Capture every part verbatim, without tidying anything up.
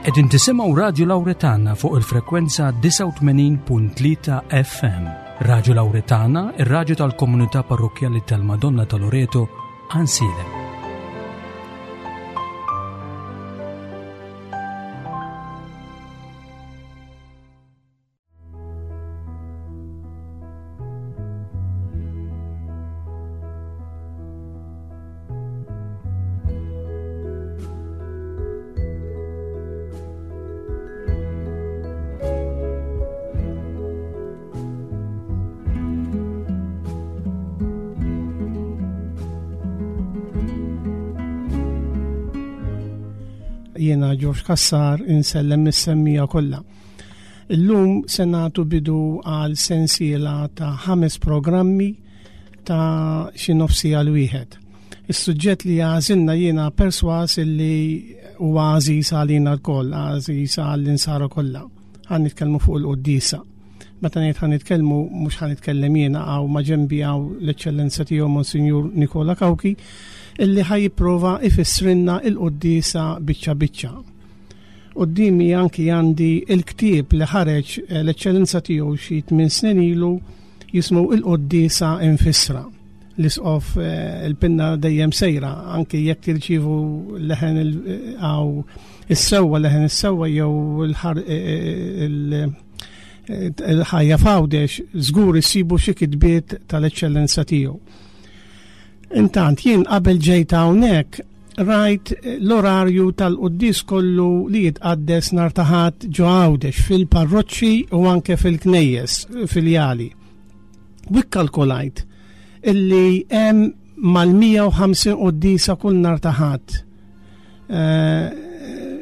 Qegħdin tisimgħu Radio Lauretana fuq il-frekwenza disgħa u tmenin punt tlieta F M. Radio Lauretana, ir-radju tal-komunità parrokkjali tal-Madonna ta' Loreto, Għajnsielem. Jiena George Cassar insellem mis-semmija kollha. Illum se nagħtu bidu għal sensiela ta' ħames programmi ta' xi nofsija l wieħed. Is-suġġett li għażilna jiena perswas illi huwa għażiż għalina lkoll, għażiż għall-insara kollha. Ħa nitkellmu fuq il-quddiesa. Meta ngħid ħa nitkellmu mhux ħa nitkellem jiena, hawn ma' ġenbi hawn l-Eċċellenza tiegħu Monsinjur Nikola Cauchi, illi ħa jipprova ifissrinna il-quddiesa biċċa biċċa. Quddiemi anki għandi il-ktieb li ħareġ, eh, l-Eċċellenza tiegħu xi tmien snin ilu jismu Il-Quddiesa Infissra. L-isqof, eh, il-pinna dejjem sejra, anki jekk tirċievu leħen il-, eh, għaw is-sewwa, leħen is-sewwa jew il-ħar, eh, eh, il-, eh, il-ħajja f'Għawdex, żgur issibu xi kitbiet tal-Eċċellenza tiegħu. Intant jien qabel ġejt hawnhekk rajt l-orarju tal-quddies kollu li jitqaddes nhar ta' Ħadd ġo Għawdex fil-parroċċi u anke fil-knejjes filjali. U kkalkulajt illi hemm mal-mija u ħamsin quddiesa kull nhar ta' Ħadd. Eh,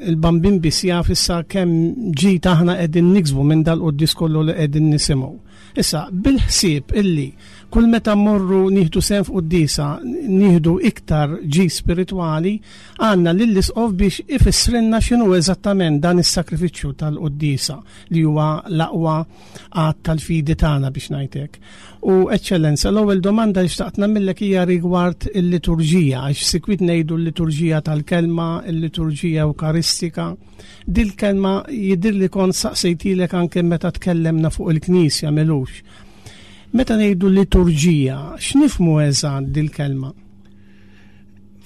il-Bambin biss jaf issa kemm ġid aħna qegħdin niksbu minn dal-quddies kollu li qegħdin nisimgħu. Issa, bil-ħsieb illi kull meta mmorru nieħdu sehem f'quddiesa, nieħdu iktar ġid spiritwali, għandna lill-isqof biex ifissrilna x'inhu eżattament dan is-sakrifiċċju tal-quddiesa li huwa l-aqwa att tal-fidi tagħna biex ngħidlek. U Eċċellenza, l-ewwel domanda li xtaqt nagħmillek hija rigward il-liturġija, għax sikwit ngħidu l-liturġija tal-kelma, il-liturġija ewkaristika. Dil-kelma jidhir li kont saqsejtilek anke meta tkellemna fuq il-Knisja m'ilux. Meta ngħidu liturġija, x'nifhmu eżatt dil-kelma?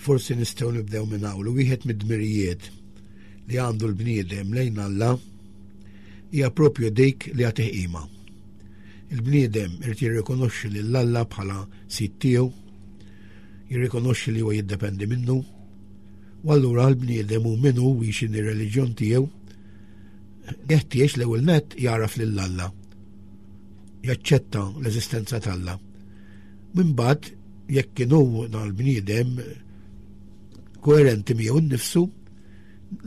Forsi nistgħu nibdew minn hawn. Wieħed mid-dmirijiet li għandu l-bniedem lejn Alla hija propju dik li jagħtih qima. Il-bniedem irid jirrikonoxxi lil Alla bħala sid tiegħu, jirrikonoxxi li huwa jiddependi minnu, u allura l-bniedem hu min hu u x'inhi r-reliġjon tiegħu, jeħtieġ l-ewwel nett jagħraf lil Alla, jaċċetta l-eżistenza t'Alla. Minn bad, jekk kien hu dan l-bniedem koerenti miegħu nnifsu,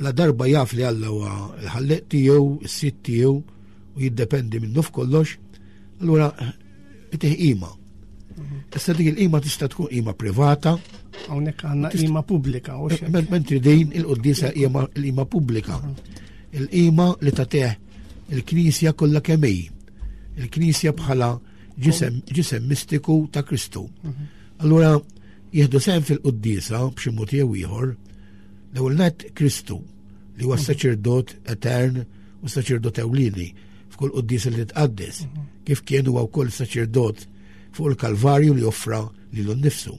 la darba jaf li Alla huwa l-ħalleq tiegħu, is-sid tiegħu u jiddependi minnu f'kollox, allura itih qima. Issa dik il-qima tista' tkun qima privata. Hawnhekk għandna Tista' qima pubblika, u x'hekk. Men-, mentri din il-quddiesa hija l-qima pubblika. Il-qima li tagħtih il-Knisja kollha kemm hi. Il-Knisja bħala ġisem, ġisem mistiku ta' Kristu. Mhm. Allura jieħdu sehem fil-quddiesa b'xi mod jew ieħor, l-ewwel nett Kristu li huwa Mhm. saċerdot etern u saċerdot ewlieni f'kull quddiesa li titqaddes, Mhm. kif kien huwa wkoll saċerdot fuq il-Kalvarju li offra lilu nnifsu.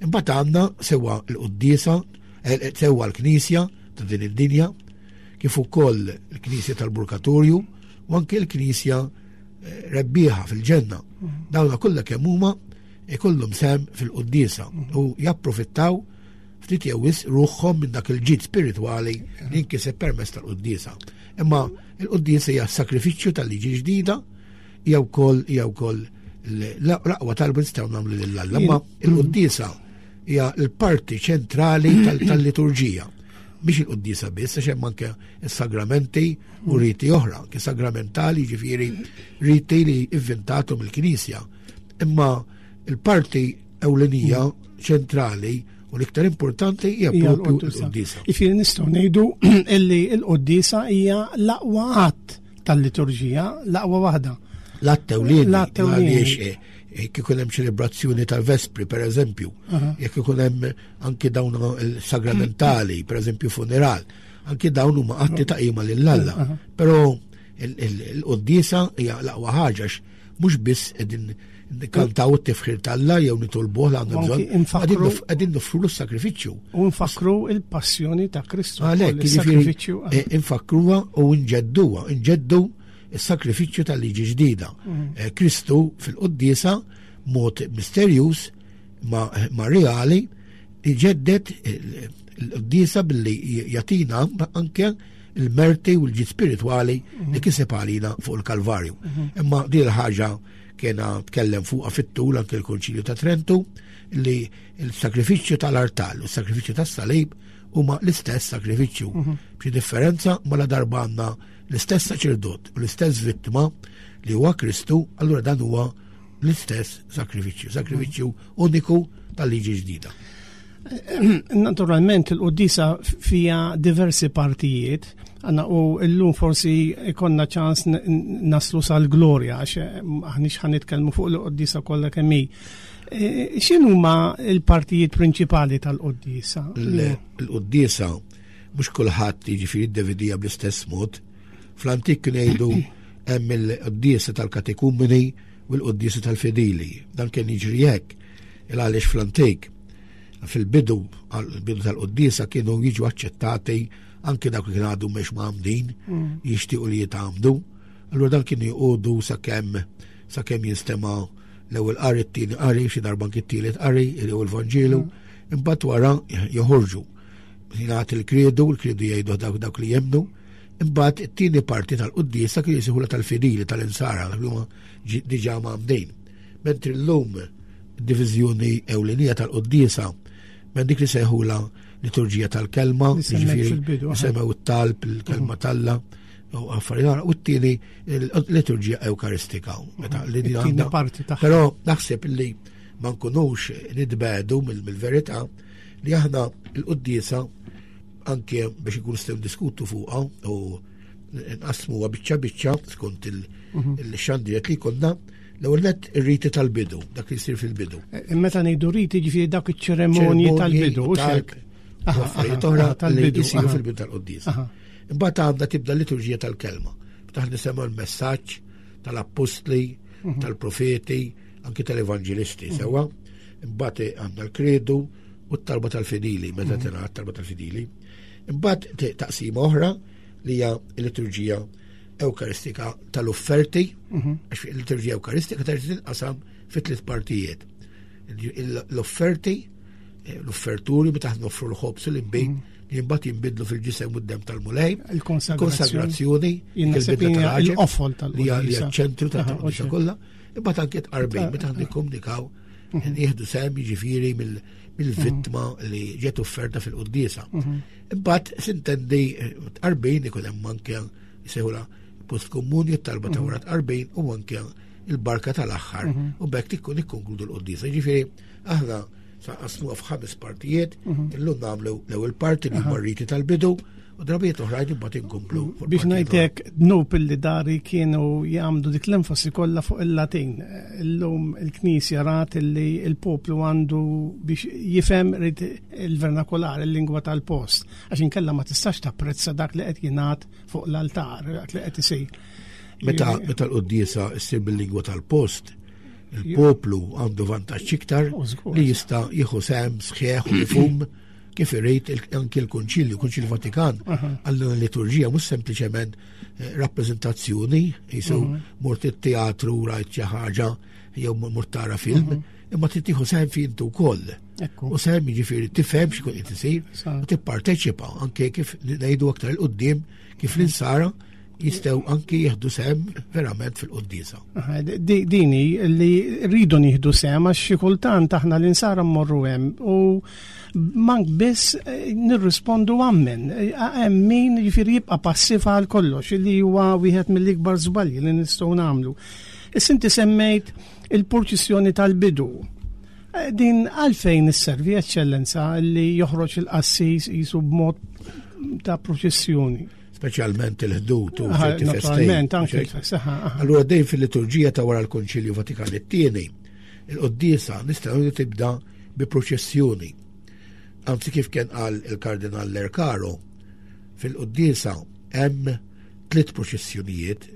Imbagħad għandna sewwa l-quddiesa, eh, eh, sewwa l-Knisja ta' din id-dinja, kif ukoll il-Knisja tal-Purgatorju u anke l-Knisja, eh, rebbieħa fil-ġenna. Mhm. Dawna kollha kemm huma ikollhom sehem fil-quddiesa Mhm. u japprofittaw ftit jew wisq ruħhom minn dak il-ġid spiritwali li nkiseb permezz tal-quddiesa. Imma l-quddiesa hija sakrifiċċju tal-liġi ġdida, hija wkoll, hija wkoll l-aqwa talba nistgħu nagħmlu lil Alla. Imma Jien- l-quddiesa hija l-parti ċentrali tal-, tal-liturġija. Mhix il-quddiesa biss, għax hemm anke s-sagramenti u riti oħra, anke sagramentali, ġifieri riti li inventatom il-Knisja. Imma il-parti ewlenija ċentrali u l-iktar importanti hija Hija propju l-quddiesa. l-quddiesa. Jiġifieri nistgħu ngħidu illi l-quddiesa hija l-aqwa att tal-liturġija, l-aqwa waħda. L-att ewlieni, L-att ewlieni. għaliex, eh, jekk ikun hemm ċelebrazzjoni tal-vespri, per eżempju, Aha. jekk ikun hemm anke dawn il-sagramentali, per eżempju funeral, Anki dawn huma atti ta' qima lil Alla. Però il-quddiesa hija l-aqwa ħaġa mhux biss qegħdin kantaw it-tifħir t'Alla jew nitolbuh l għandna bżonn. Qegħdin nofrulu s-sagrifiċċju. U nfakru il-passjoni ta' Kristu. Għalhekk, jiġifieri eh, infakruha u nġedduha, nġeddu s-sagrifiċċju tal-liġi ġdida. Mhm. Eh, Kristu fil-quddiesa mod misterjuż ma, ma reali iġeddet il-quddiesa billi jatina anke il-merti u l-ġid spiritwali li mhm. kiseb għalina fuq il-Kalvarju. Mhm. Imma din il-ħaġa kena tkellem fuqha fit-tul anke l-Konċilju ta' Trentu li il-sakrifiċċju tal-artal u s-sakrifiċċju tas-salib huma l-istess sakrifiċċju. Mhm. B'xi differenza ma la darba għandna l-istess saċerdot u l-istess vittma li huwa Kristu, allura dan huwa l-istess sakrifiċċju, sakrifiċċju uniku tal-liġi ġdida. Naturalment il-qoddisa fija diversi partijiet, għanna u illum forsi ikonna ċans naslu sal-glorja, għax aħniex ħa nitkellmu fuq il-qoddisa kollha kemm hi. E, x'inhuma l-partijiet prinċipali tal-qoddisa? Il-qoddisa mhux kulħadd jiġifieri ddevidija bl-istess mod. Fl-antik kien jgħidu hemm il-quddiesa tal-katekumeni u l-quddiesa tal-fidili. Dan kien jiġri hekk il għaliex fl-antik fil-bidu għal-bidu tal-quddiesa kienu jiġu aċċettati anke dawk li kienu għadu mhux mgħammdin mm. jixtiequ li jitgħammdu. Allura dan kienu jqogħdu sakemm sakemm jinstema' l-ewwel qari, t-tieni qari, xi darba anke t-tielet qari, jew il-Vanġelu, mm. imbagħad wara joħorġu. Jingħad il-kredu, il-kredu jgħidu dawk dawk li jemmnu, imbagħad it-tieni parti tal-quddiesa kien jisihula tal-fidili tal-insara, dak li huma diġà mgħammdin. Mentri llum diviżjoni ewlenija tal-quddiesa minn dik li sejħula liturġija tal-kelma, jiġifieri semmew it-talb, il-kelma mhm. t'Alla, u affarijiet u t-tieni liturġija ewkaristika. Meta li din parti tagħha. Però naħseb li ma nkunux nitbedu mill-verità li aħna l-quddiesa anke biex ikun nistgħu diskutu fuqha u nqasmuha biċċa biċċa skont mhm. il-xandriet li konna l-ewwel nett ir-riti tal-bidu, dak li jsir fil-bidu. E, meta ngħidu riti ġifieri dak iċ-ċeremonji tal-bidu, u xek. Affarijiet oħra tal-bidu jsiru fil-bidu tal-quddiesa. Imbagħad għandha tibda l-liturġija tal-kelma. Taħ nisemgħu l-messaġġ tal-appostli, mhm. tal-profeti, anki tal-evanġelisti, mhm. sewwa. Imbagħad għandna l-kredu u t-talba tal-fidili, meta mhm. tingħad talba tal-fidili. Imbagħad taqsima oħra li hija l-liturġija Ewkaristika tal-offerti, mhm. għax il-liturġija Ewkaristika terġa' tinqasam fi tliet partijiet. L-offerti, eh, l-offerturi meta noffru l-ħobż u l-inbid mhm. li mbagħad jinbidlu fil-ġisem u d-dem tal-Mulej, il-konsagrazzjoni, il-qofol tal-li hija ċentru tal-quddiesa kollha, imbagħad anke tqarbin meta nikkomunikaw mhm. nieħdu sehem jiġifieri mill-vittma li ġiet offerta fil-quddiesa. Imbagħad sintendi eh, tqarbin ikun hemm anke jsejħula post komuni, talba ta' wara tqarbin u anke il-barka tal-aħħar mhm. u bekk tikkun ikkonkludu l-quddiesa. Ġifieri aħna sa qasmuha f'ħames partijiet, mhm. illum nagħmlu l-ewwel parti li huma riti tal-bidu u drabijiet oħrajn imbagħad inkomplu. Mhm. Biex ngħidlek dnub illi dari kienu jagħmlu dik l-enfasi kollha fuq il-Latin. Illum il-Knisja rat illi il-poplu għandu biex jifhem il-vernakolar, il-lingwa tal-post, għax inkella ma tistax tapprezza dak li qed jingħad fuq l-altar, dak li qed isir. Meta meta l-quddiesa ssir bil-lingwa tal-post, il-poplu għandu vantaġġ iktar li jista' jieħu sehem sħiħ u mifhum kif irid anki l-Kunċilju, Kunċilju Vatikan, għal liturġija mhux sempliċement eh, rappreżentazzjoni, jisu mhm. mort it-teatru rajt xi ħaġa jew mort tara film, mhm. imma trid tieħu sehem fi intu wkoll. U sehem jiġifieri tifhem x'ikun qed isir u tipparteċipa anke kif ngħidu aktar il qudiem kif l-insara jistgħu anki jieħdu sehem verament fil-quddiesa. Dini li rridu nieħdu sehem għax xi kultant aħna l-insara mmorru hemm u mank biss eh, nirrispondu ammen. Eh, hemm min jiġifieri jibqa' passiv għal kollox li huwa wieħed mill-ikbar żbalji li nistgħu nagħmlu. Issa inti semmejt il-purċissjoni tal-bidu. Eh, din għalfejn isservi eċċellenza li joħroġ il-qassis jisu b'mod ta' proċessjoni. Speċjalment il-ħdud u ċerti festi. Anke Allura dejjem fil-liturġija ta' wara l-Konċilju Vatikan it-tieni, il-quddiesa nistgħu tibda bi proċessjoni. Anzi kif kien qal il-Kardinal Lercaro, Fil-quddiesa hemm tliet proċessjonijiet,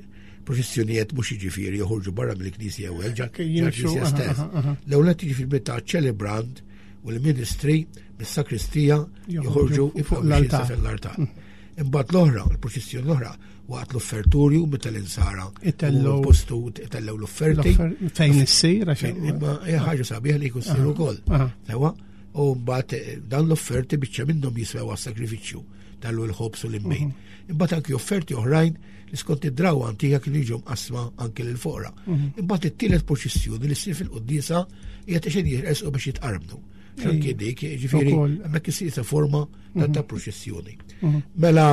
proċessjonijiet mhux jiġifieri joħorġu barra mill-Knisja ewwel, ġa ġa stess. L-ewwel jiġifieri meta ċelebrant u l-ministri mis-sakristija joħorġu fuq l-altar. Mm. Imbagħad l-oħra, il-proċessjoni l-oħra, waqt l-offertorju meta l-insara Itellu postu itellew l-offerti. Fejn issir għax imma hija ħaġa sabiħ li jkun ssir ukoll. Sewa, u mbagħad eh, dan l-offerti biċċa minnhom jiswew għas-sagrifiċċju tallu l-ħobs u l-imbejn. Mhm. Imbagħad anki offerti oħrajn li skont id-drawa antika kienu jiġu mqasma anki lil foqra. Mhm. Imbagħad it-tielet proċessjoni li ssir fil-quddiesa hija ta' xejn jiresqu biex jitqarbnu. Anki dik, ġifieri hemmhekk isir forma ta' mhm. proċessjoni. Mela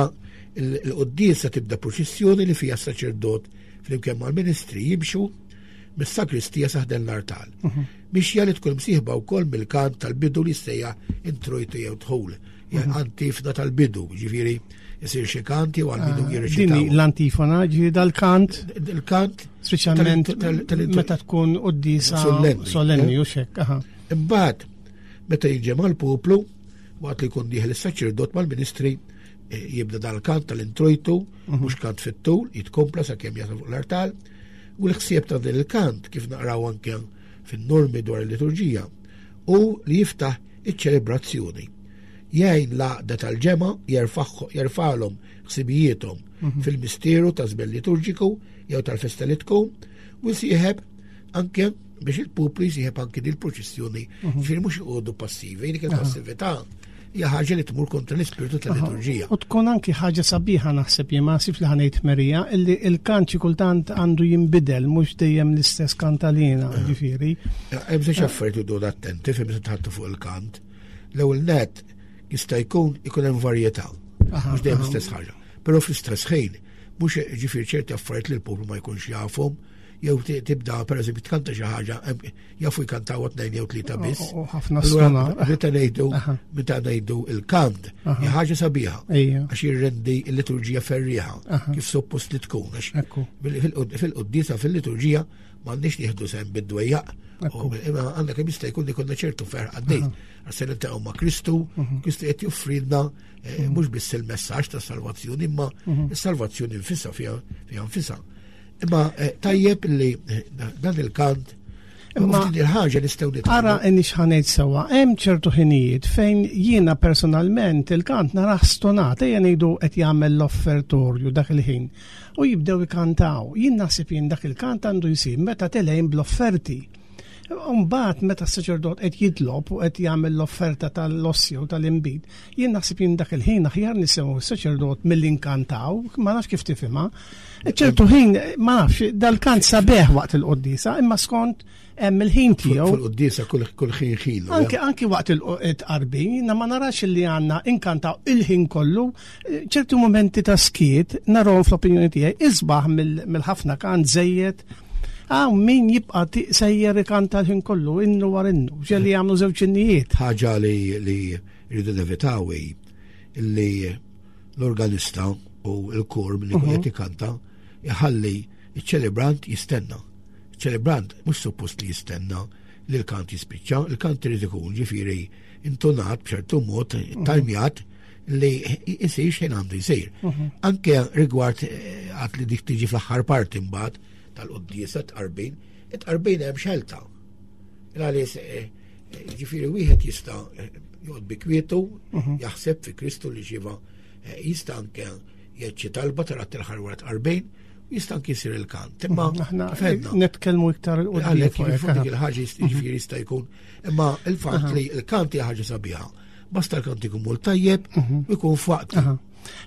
l-quddiesa tibda proċessjoni li fiha saċerdot flimkien mal-ministri jimxu mis-sakristija saħden l-artal. Mixja li tkun msieħba wkoll mill-kant tal-bidu li sejja introjtu jew dħul. Mhm. Antifna tal-bidu, ġifieri jisir xi kant jew għal-bidu ah, jirreċitaw. Din l-antifona ġifieri dal-kant. Il-kant. Speċjalment meta tkun quddisa solenni eh? u xek. Imbagħad meta jiġi mal-poplu waqt li jkun dieħel is-saċerdot mal-ministri eh, jibda dal-kant tal-introjtu, mhm. mhux kant fit-tul, jitkompla sakemm jasal fuq l-artal, u l-ħsieb ta' din il-kant kif naqraw anke fin-normi dwar il-liturġija u li jiftaħ iċ-ċelebrazzjoni. Jgħin l-għaqda tal-ġemgħa jerfalhom ħsibijiethom mhm. fil-misteru ta' żmien liturġiku jew tal-festa li tkun u jsieħeb anke biex il-poplu jsieħeb anke din il-proċessjoni. Mhm. Ġifieri mhux iqogħdu passivi, dik il-passività hija ħaġa li tmur kontra l-ispirtu tal-liturġija. U tkun anki ħaġa sabiħa naħseb jien ma sif li ħanejt Marija illi il-kant xi kultant għandu jinbidel mhux dejjem l-istess kantalina, ġifieri. Hemm żewġ affarijiet idu attenti fejn meta tħattu fuq il-kant. L-ewwel net jista' jkun ikun hemm varjetà. Mhux dejjem l-istess ħaġa. Però fl-istess ħin mhux ġifieri ċerti affarijiet li l-poplu ma jkunx jafhom, jew tibda pereżempju tkanta xi ħaġa jafu jkantaw tnejn jew tlieta biss. Ħafna sena. Meta ngħidu meta ngħidu il-kant hija ħaġa sabiħa għax jirrendi l-liturġija ferrieħa kif suppost li tkun għax fil-quddiesa fil-liturġija m'għandniex nieħdu sehem bid-dwejjaq. Imma għandna kemm jista' jkun ikollna ċertu ferħ għaddej. Għax se niltaqgħu ma' Kristu, mhm. Kristu qed joffrilna eh, mhm. mhux biss il-messaġġ ta' salvazzjoni, imma mhm. is-salvazzjoni nfisha fiha nfisha. Imma eh, tajjeb li eh, dan il-kant Imma il-ħaġa nistgħu nitgħallmu. Ara inni x'ħanejt sewwa, hemm ċertu ħinijiet fejn jiena personalment il-kant narah stonat, ejja ngħidu qed jagħmel l-offertorju dak il-ħin u jibdew ikantaw. Jien naħseb jien dak il-kant għandu jsir meta telejn bl-offerti. Mbagħad meta s-saċerdot qed jitlob u qed jagħmel l-offerta tal-ossja u tal-inbid, jien naħseb jien dak il-ħin aħjar nisimgħu s-saċerdot milli nkantaw, ma nafx kif tifhimha. Ċertu ħin, ma nafx, dal-kant sabeħ waqt il-quddiesa, imma skont hemm il-ħin tiegħu. Fil-quddiesa kull ħin ħin. Anki anki waqt il-tqarbin, jiena ma narax li għandna inkantaw il-ħin kollu, ċertu momenti ta' skiet narahom fl-opinjoni tiegħi isbaħ mill-ħafna kant żejjed. Hawn min jibqa' sejjer ikanta l-ħin kollu, innu war innu, ġeli jagħmlu żewġ innijiet. Ħaġa li li rridu nevitaw hi li l-organista u l-kor li jkun qed ikanta iħalli iċ-ċelebrant jistenna. Ċelebrant mhux suppost li jistenna li l-kant jispiċċa, il-kant irid ikun ġifieri intonat b'ċertu mod, tajmjat li jsir xejn għandu jsir. Mhm. Anke rigward eh, għat li dik tiġi fl-aħħar parti mbagħad tal-quddiesa tqarbin, it-tqarbin hemm xelta. Għaliex eh, eh, ġifieri wieħed jista' joqgħod bi kwietu, mhm. jaħseb fi Kristu li ġiva jista' anke jgħid xi talba tara t-tilħar wara tqarbin, jista' anke jsir il-kant. Imma mhm, aħna nitkellmu iktar il Għalhekk fuq dik il-ħaġa jiġifieri jista' jkun. Imma il-fatt li l-kant hija ħaġa sabiħa. Basta l-kant ikun mul tajjeb mhm. u jkun f'waqt.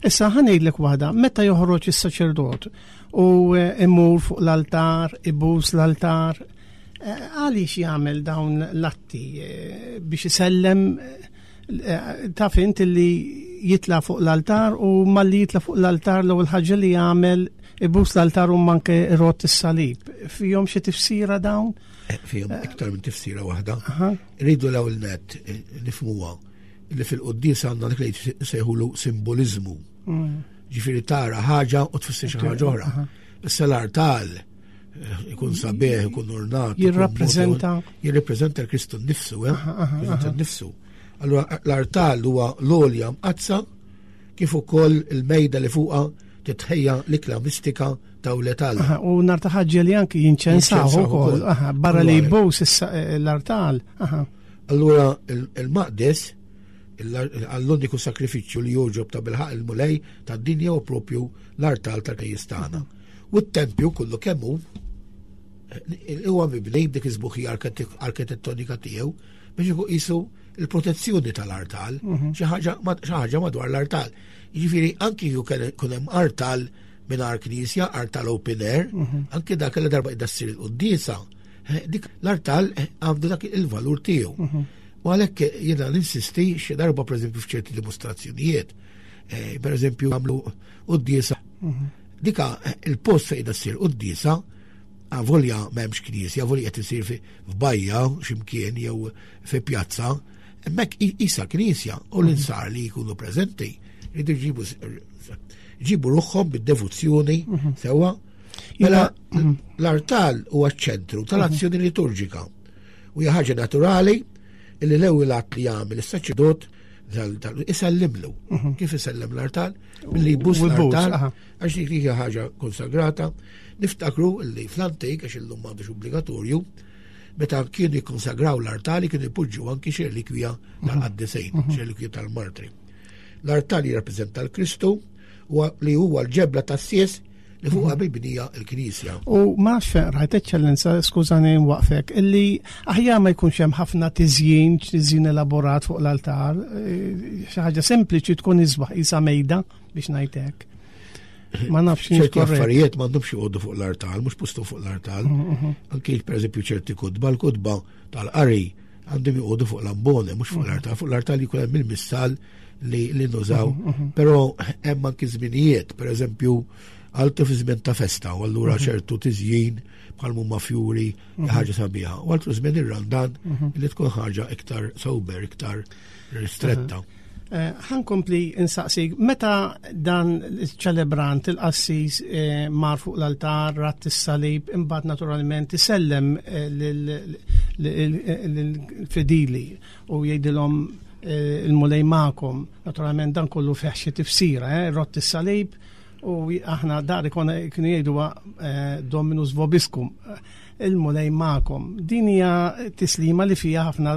Issa ħa ngħidlek waħda, meta joħroġ is-saċerdot u eh, imur fuq l-altar, ibus l-altar, eh, għaliex jagħmel dawn l-atti eh, biex isellem taf int li jitla fuq l-altar u malli jitla fuq l-altar l-ewwel ħaġa li jagħmel ibus l-altar u manke rot is-salib. Fihom xi tifsira dawn? Eh, fihom iktar minn tifsira waħda. Rridu l-ewwel net eh, nifhmuha li fil-quddies għandna dik li sejħulu simboliżmu. Mm. Ġifieri tara ħaġa u tfisser xi ħaġa oħra. Issa l-artal eh, ikun sabiħ, ikun ornat. Jirrappreżenta. Jirrappreżenta l-Kristu nnifsu, eh? Jirrappreżenta nnifsu. Allura l-artal huwa l-għolja mqaddsa kif ukoll il-mejda li fuqha titħejja l-ikla mistika ta' wlied Alla. U nhar ta' Ħadd li anki jinċensaw ukoll, barra li jbus l-artal. Allura il-maqdes għall-uniku sakrifiċċju li jogħġob ta' bilħaq il-Mulej tad-dinja u propju l-artal tal-knisja tagħna. U t-tempju kollu kemm hu huwa mibni b'dik iż-sbuħija arkitettonika tiegħu biex ikun qisu il-protezzjoni tal-artal, xi ħaġa madwar l-artal. Jiġifieri anki jkun hemm artal mingħajr knisja, artal open air, anki dak li darba qiegħda ssir il-quddiesa, dik l-artal għandu dak il-valur tiegħu. U għalhekk jiena ninsisti xi darba pereżempju f'ċerti dimostrazzjonijiet, pereżempju għamlu quddiesa. Dika il-post fejn qiegħda ssir quddiesa, avolja m'hemmx knisja, avolja qed isir f'bajja x'imkien jew fi pjazza, hemmhekk isa knisja u l-insar li jkunu preżenti jridu jġibu ġibu ruħhom bid-devozzjoni sewwa. Mela l-artal huwa ċ-ċentru tal-azzjoni liturġika u hija ħaġa naturali illi l-ewwel att li jagħmel is-saċerdot isellimlu. Kif isellem l-artal? Billi jbus l-artal, għax dik hija ħaġa konsagrata. Niftakru li fl-antik, għax illum m'għadux obbligatorju, meta kienu jikkonsagraw l-artali kienu jpoġġu anki xi relikwija tal-qaddisin, xi relikwija tal-martri. L-artal jirrappreżenta l-Kristu li huwa l-ġebla tas-sies li fuqha mibnija l-Knisja. U ma nafx fejn rajt, Eċċellenza, skużani nwaqfek, illi aħjar ma jkunx hemm ħafna tiżjin, tiżjin elaborat fuq l-altar, xi ħaġa sempliċi tkun isbaħ isa mejda biex ngħidlek. Ma nafx ċerti affarijiet m'għandhomx joqogħdu fuq l-artal, mhux postu fuq l-artal. Anki pereżempju ċerti kutba, l-kutba tal-qari għandhom joqogħdu fuq l-ambone, mhux fuq l-artal. Fuq l-artal jkun hemm il-missal li, li nużaw, però hemm anki żminijiet, pereżempju għaltu fi żmien ta' festa, u allura ċertu tiżjin bħal mumma fjuri ħaġa sabiħa. U għaltu żmien ir-Randan li tkun ħaġa iktar sober, iktar ristretta. Ħankompli insaqsik, meta dan il-ċelebrant, il-qassis mar fuq l-altar, rat is-salib, imbagħad naturalment isellem lill-fidili u jgħidilhom il-Mulej magħkom. Naturalment dan kollu fih xi tifsira, rott is-salib u aħna dari konna kienu jgħidu Dominus vobiscum, il-Mulej magħkom. Din hija tislima li fiha ħafna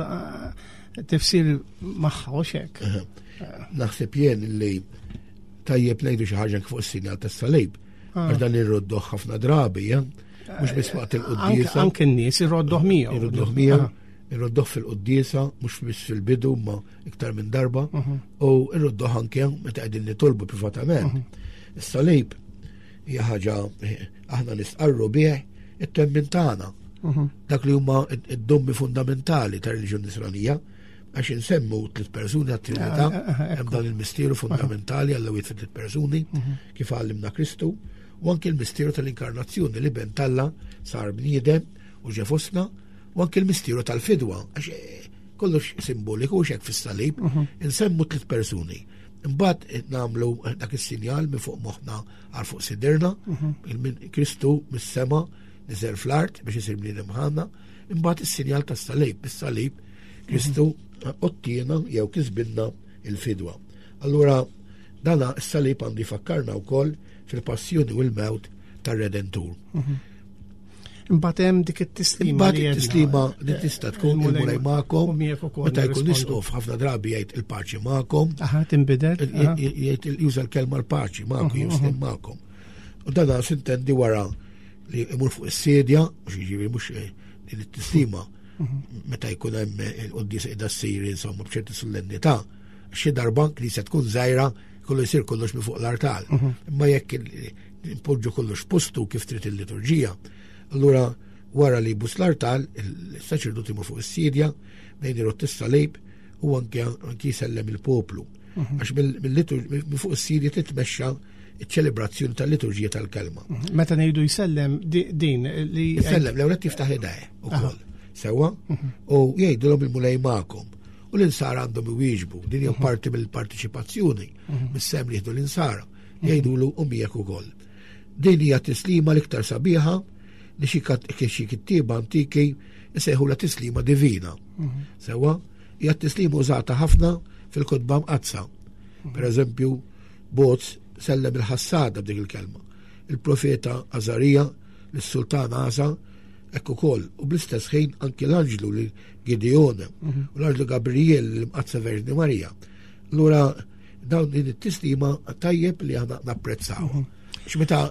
tifsir magħha u xek. Naħseb jien li tajjeb ngħidu xi ħaġa fuq is-sinjal tas-salib, għax dan irroddoh ħafna drabi, mhux biss waqt il-quddiesa. Anke n-nies irroddoh miegħu. Irroddoh miegħu, irroddoh fil-quddiesa, mhux biss fil-bidu ma iktar minn darba, u irroddoh anke meta qegħdin nitolbu privatament. Is-salib hija ħaġa aħna nistqarru bih it-twemmin tagħna. Dak li huma id-dommi fundamentali tar-reliġjon Nisranija, għax insemmu tliet persuni għat-Trinità, hemm dan il-misteru fundamentali għall wieħed fi tliet persuni, kif għallimna Kristu, u anke l-misteru tal-inkarnazzjoni li ben Alla sar bniedem u ġie fostna, u anke l-misteru tal-fidwa, għax kollox simboliku u xek fis-salib, insemmu tliet persuni. Imbagħad nagħmlu dak is-sinjal minn fuq moħħna għal fuq sidirna, Kristu mis-sema niżel fl-art biex isir bniedem bħalna, imbagħad is-sinjal tas-salib, bis-salib Kristu ottiena jew kisbinna il-fidwa. Allura dana s-salib għandu jfakkarna wkoll fil-passjoni u l-mewt tar-Redentur. Imbagħad hemm dik it-tislima Imbagħad li it-tislima għedna. li tista' tkun Il-Mulej il-Mulej magħkom, u miegħek ukoll meta jkun nirrispondu. isqof ħafna drabi jgħid il-paċi magħkom. Aha, tinbidel. Il-, il-, jgħid juża l-kelma l-paċi magħkom, Mhm, jew mhm. magħkom. U dan sintendi wara li imur fuq is-sedja, mhux jiġifieri mhux din it-tislima meta jkun hemm il-quddiesa qiegħda ssir insomma b'ċerti solennità, xi darba knisja tkun żgħira kollu jsir kollox minn fuq l-artal. Imma jekk impoġġu kollox postu kif trid il-liturġija, allura wara li jbus l-artal, il-saċerdot imur fuq is-sidja, bejn irott is-salib u anke anke jsellem il-poplu. Għax minn fuq is-sidja titmexxa iċ-ċelebrazzjoni tal-liturġija tal-kelma. Meta ngħidu jsellem din li Jsellem, l-ewwel qed jiftaħ idejh ukoll. Sewwa, u jgħidulhom il-Mulej magħkom. U l-insara għandhom iwieġbu, din hija parti mill-partiċipazzjoni, mis-sem li jieħdu l-insara, jgħidulu u miegħek ukoll. Din hija tislima l-iktar sabiħa li xi kat-, xi kittieba antiki jsejħu la tislima divina. Sewwa, hija tislima użata ħafna fil-kotba mqaddsa. Per eżempju, Boaz sellem il-ħassada b'dik il-kelma. Il-profeta Azarija, l-sultan Asa, hekk ukoll. U bl-istess ħin anki l-anġlu li Gideon mhm. u l-anġlu Gabriel l-Imqaddsa Verġni Marija. Allura dawn din it-tislima tajjeb li aħna napprezzaw. Mhm. Meta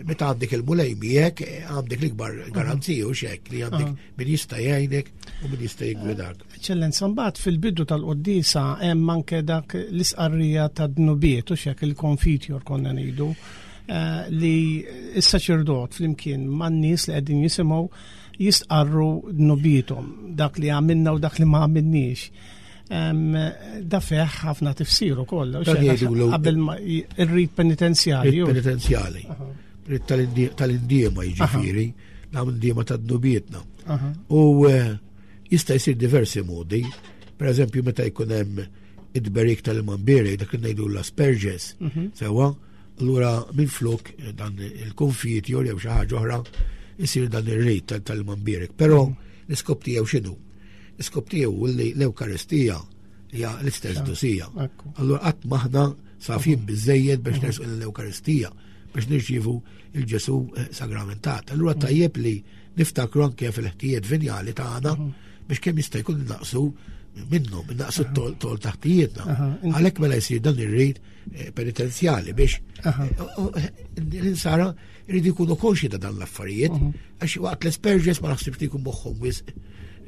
meta għandek il-Mulej miegħek, għandek l-ikbar garanzija u xek li għandek min jista' jgħinek u min jista' jiggwidak. Eċċellenza, mbagħad fil-bidu tal-quddiesa hemm anke dak l-isqarrija ta' dnubiet u xek il-konfitjor konna ngħidu eh, li s-saċerdot flimkien man-nies li qegħdin jisimgħu jistqarru dnubietom, dak li għamilna u dak li ma għamilniex. Da feħ ħafna tifsir ukoll. Qabel ir-rit penitenzjali. Rit penitenzjali. Rit tal-indiema jiġifieri, nagħmlu indiema ta' dnubietna. U eh, jista' jsir diversi modi. Per eżempju, meta jkun hemm id-berik tal-imambiri, dak li ngħidu l-asperges, mhm. sewwa, allura minn flok eh, dan il-konfiet jew xi ħaġa oħra isir dan ir-rit tal-imambirek. Però mhm. l-iskop tiegħu x'inhu? L-iskop tiegħu li l-Ewkaristija hija l-istess dosija. Allura qatt maħna safin mhm. biżejjed biex mhm. nersqu l-Ewkaristija biex nirċievu il-Ġesu eh, sagramentat. Allura mhm. tajjeb li niftakru anke fil-ħtijiet vinjali tagħna biex kemm jista' jkun naqsu minnhom, naqsu t-tol taħtijietna. Għalhekk mela jsir dan ir-rit eh, penitenzjali biex eh, l-insara jridu jkunu konxi ta' dan l-affarijiet, għax waqt l-asperges ma naħsibx li jkun moħħhom wisq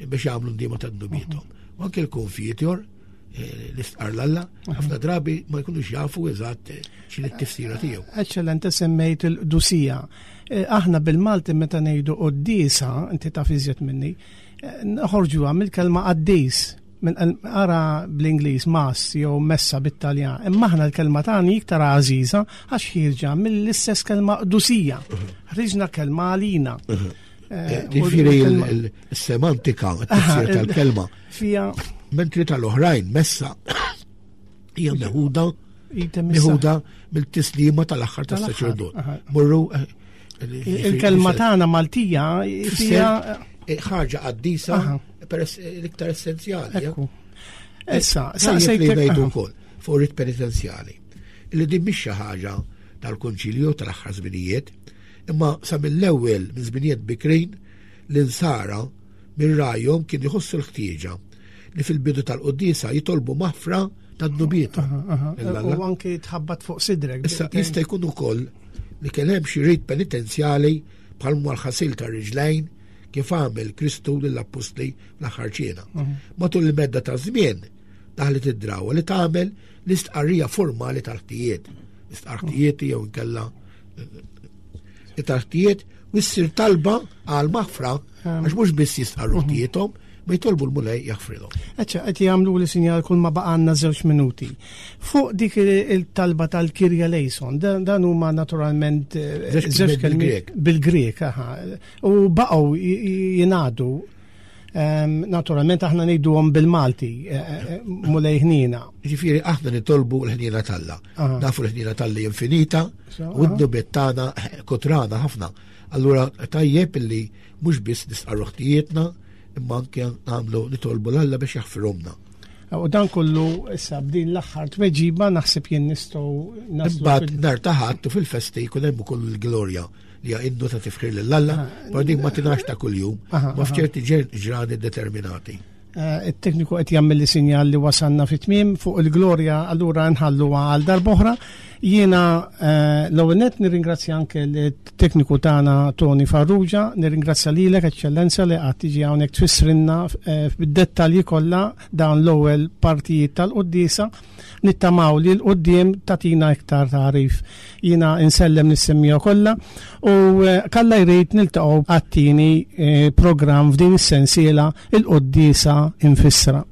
biex jagħmlu ndima ta' dnubiethom. U anke l-konfitjor eh, l-istqar l-Alla, ħafna drabi ma jkunux jafu eżatt eh, x'inhi t-tifsira tiegħu. Eċċellente, semmejt il-qdusija. Eh, aħna bil-Malti meta ngħidu quddiesa, inti taf iżjed minni, noħorġuha mill-kelma qaddis, minn ara bl-Ingliż mass jew messa bit-Taljan. Imma aħna l-kelma tagħna iktar għażiża għax ħierġa mill-istess kelma qdusija. Ħriġna kelma għalina. Eh, Ġifieri il-semantika, t-tifsir tal-kelma. Fija. Mentri tal-oħrajn, messa, hija meħuda meħuda mill-tislima tal-aħħar tas-saċerdot. Morru eh, il-kelma tagħna Maltija fija eh, ħaġa qaddisa peress l-iktar essenzjali. Issa, sa se ngħidu wkoll fuq rit penitenzjali. Li din mhix xi ħaġa tal-Konċilju tal-aħħar żminijiet, imma sa mill-ewwel minn żminijiet bikrin l-insara minn rajhom kien jħossu l-ħtieġa li fil-bidu tal-quddiesa jitolbu maħfra tad-dnubiet. U anke tħabbat fuq sidrek. Issa jista' jkun ukoll li kien hemm xi rit penitenzjali bħal l-ħasil tar-riġlejn kif għamel Kristu lill-appostli fl-aħħar ċena. Matul il-medda ta' żmien daħlet id-drawa li tagħmel l-istqarrija formali tal-ħtijiet. L-istqarrijiet jew inkella eh, tal-ħtijiet u ssir talba għal maħfra għax mhux biss jistqarru ħtijiethom, ma jitolbu l-Mulej jaħfrilhom. Eċċa, qed jagħmlu li sinjal kull ma baqgħalna żewġ minuti. Fuq dik il-talba tal-Kirja Lejson, dan huma naturalment eh, żewġ kelmiet bil-Grek, aha. U baqgħu jingħadu naturalment aħna ngħiduhom bil-Malti, eh, eh, Mulej ħnina. Ġifieri aħna nitolbu l-ħnina t'Alla. Nafu l-ħnina t'Alla infinita u d-dnubiet tagħna kotrana ħafna. Allura tajjeb illi mhux biss nistqarru ħtijietna, imma anke nagħmlu nitolbu l-Alla biex jaħfirhomna. U dan kollu issa b'din l-aħħar tweġiba naħseb jien nistgħu naslu. Imbagħad nhar ta' Ħadd u fil-festi jkun hemm ukoll il-glorja li hija innu ta' tifħir lil Alla, però dik ma tingħax ta' kuljum, ma f'ċerti ġrani determinati. Eh, it-tekniku qed jagħmel li sinjal li wasalna fit-tmiem fuq il-glorja, allura nħalluha għal darb'oħra. Jiena eh, l-ewwel nett nirringrazzja anke l-tekniku tagħna Tony Farrugia, nirringrazzja lilek Eċċellenza li qatt tiġi hawnhekk tfissrilna eh, bid-dettalji kollha dawn l-ewwel partijiet tal-quddiesa. Nittamaw li l-quddiem tatina iktar tagħrif. Jiena insellem lis-semmiegħa kollha u eh, kalla jrid niltaqgħu għat-tieni programm f'din is-sensiela il-quddiesa infissra.